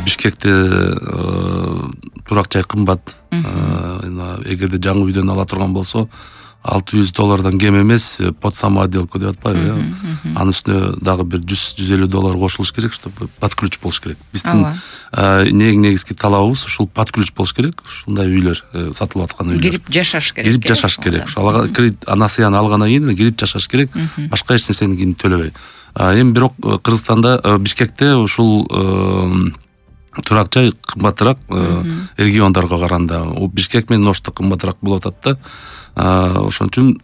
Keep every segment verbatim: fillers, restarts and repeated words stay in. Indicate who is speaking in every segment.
Speaker 1: Бишкекте турак жай кымбат. Эгерде жаңы үйдөн ала турган болсо алты жүз доллардан кем эмес под самоотделку деп атпайбы, э? Анын үстүнө дагы бир жүз жүз элүү доллар кошулуш керек, чтобы под ключ болуш керек. Биздин негизги талабыбыз ушул под ключ болуш керек. Ушундай үйлөр, сатылып аткан үйлөр.
Speaker 2: Кирип жашаш керек.
Speaker 1: Кирип жашаш керек. Ошол кредит анасыяны алгандан кийин кирип жашаш керек. Башка эч нерсени кийин төлөбөй. Эми бирок Кыргызстанда, Бишкекте ушул турак жай кымбатыраак региондорго караганда. Бишкек менен Ошто кымбатыраак болуп атат да. Ошон үчүн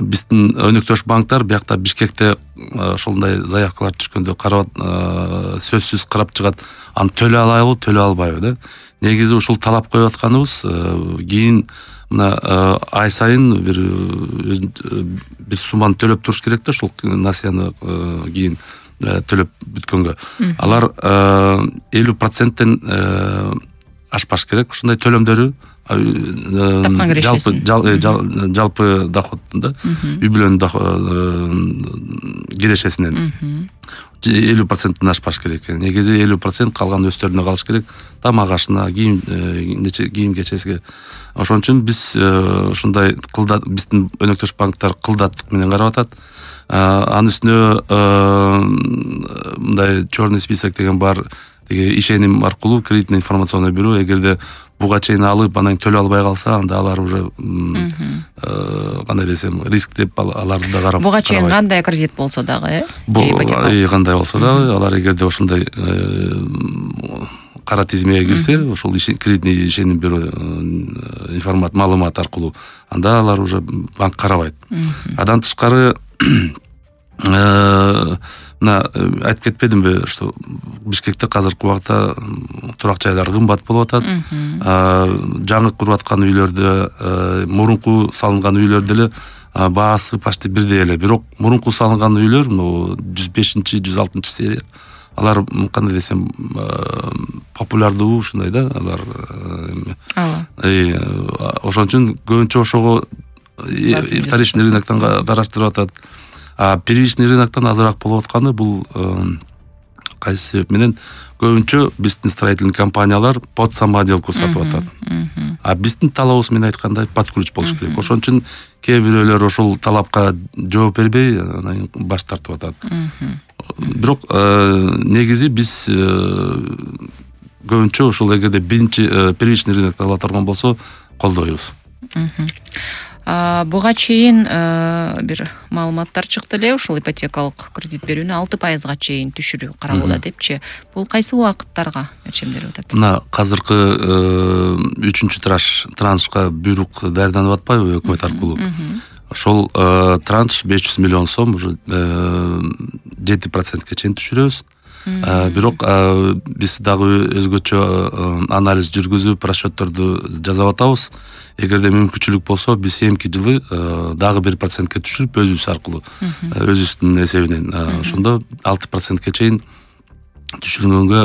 Speaker 1: биздин өнөктөш банктар биякта Бишкекте ошондой заявкалар түшкөндө карап, сөзсүз карап чыгат. Аны төлөй алайбы, төлөй албайбы да. Негизи ушул талап коюп атканыбыз кийин мына ай сайын бир бир сумманы төлөп туруш керек да, ушул насыяны кийин төлөп бүткөнгө. Алар элүү проценттен ашпаш керек. Ушундай төлөмдөрү жалпы жалпы доходунда үй бүлөнүн кирешесинен элүү проценттен ашпаш керек. Негизи элүү процент калган өстөрүнө калыш керек. Тамак ашына, кийим кийим кечесиге. Ошон үчүн биз ушундай кылдат, биздин өнөктөш банктар кылдаттык менен карап атат. Анын үстүнө мындай черный список деген бар. Теге ишеним аркылуу кредитный информационный бюро, эгерде буга чейин алып, анан төлөй албай калса, анда алар уже кандай десем, риск деп аларды да карап.
Speaker 2: Буга чейин кандай кредит болсо дагы,
Speaker 1: э? Кандай болсо дагы, алар эгерде ошондой кара тизмеге кирсе, ошол кредитный ишеним бюро информат маалымат аркылуу, анда алар уже банк карабайт. Андан тышкары мына айтып кетпедимби, что Бишкекте азыркы убакта турак жайлар кымбат болуп атат. Жаңы куруп аткан үйлөрдө, мурунку салынган үйлөрдө эле баасы почти бирдей эле. Бирок мурунку салынган үйлөр, жүз бешинчи, жүз алтынчы серия, алар кандай десем, популярдуу ушундай да, алар. Ошон үчүн көбүнчө ошого вторичный рыноктон караштырып атат. А первичный рыноктон азыраак болуп атканы бул кайсы себеп менен көбүнчө биздин строительный компаниялар под самоотделку сатып атат. А биздин талабыбыз менен айткандай под ключ болуш керек. Ошон үчүн кээ бирөөлөр ошол талапка жооп бербей, анан баш тартып атат. Бирок негизи биз көбүнчө ошол эгерде биринчи первичный рыноктон ала турган болсо колдойбуз.
Speaker 2: Буга чейин бир маалыматтар чыкты эле, ушул ипотекалык кредит берүүнү алты пайызга чейин түшүрүү каралууда депчи. Бул кайсы убакыттарга өлчөмдөлүп атат?
Speaker 1: Мына азыркы үчүнчү траншка буйрук даярданып атпайбы өкмөт аркылуу? Ошол транш беш жүз миллион сом уже жети процентке чейин түшүрөбүз. Бирок биз дагы өзгөчө анализ жүргүзүп, расчётторду жасап атабыз. Эгерде мүмкүнчүлүк болсо, биз эмки жылы дагы бир процентке түшүрүп, өзүбүз аркылуу, өзүбүздүн эсебинен, ошондо алты процентке чейин түшүргөнгө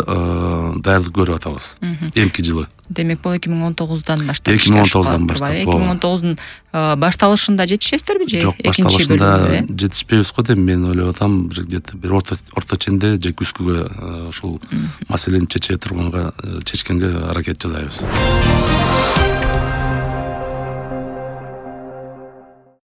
Speaker 1: даярдык көрүп атабыз. Эмки жылы.
Speaker 2: Демек, бул эки миң он тогуздан баштап.
Speaker 1: эки миң он тогуздан баштап.
Speaker 2: эки миң он тогуздун башталышында жетишесиздерби же
Speaker 1: экинчи бөлүмүндө? Жок, башталышында жетишпейбиз го деп мен ойлоп атам. Бир где-то бир орто ченде же күзгүгө ушул маселени чече турганга, чечкенге аракет жасайбыз.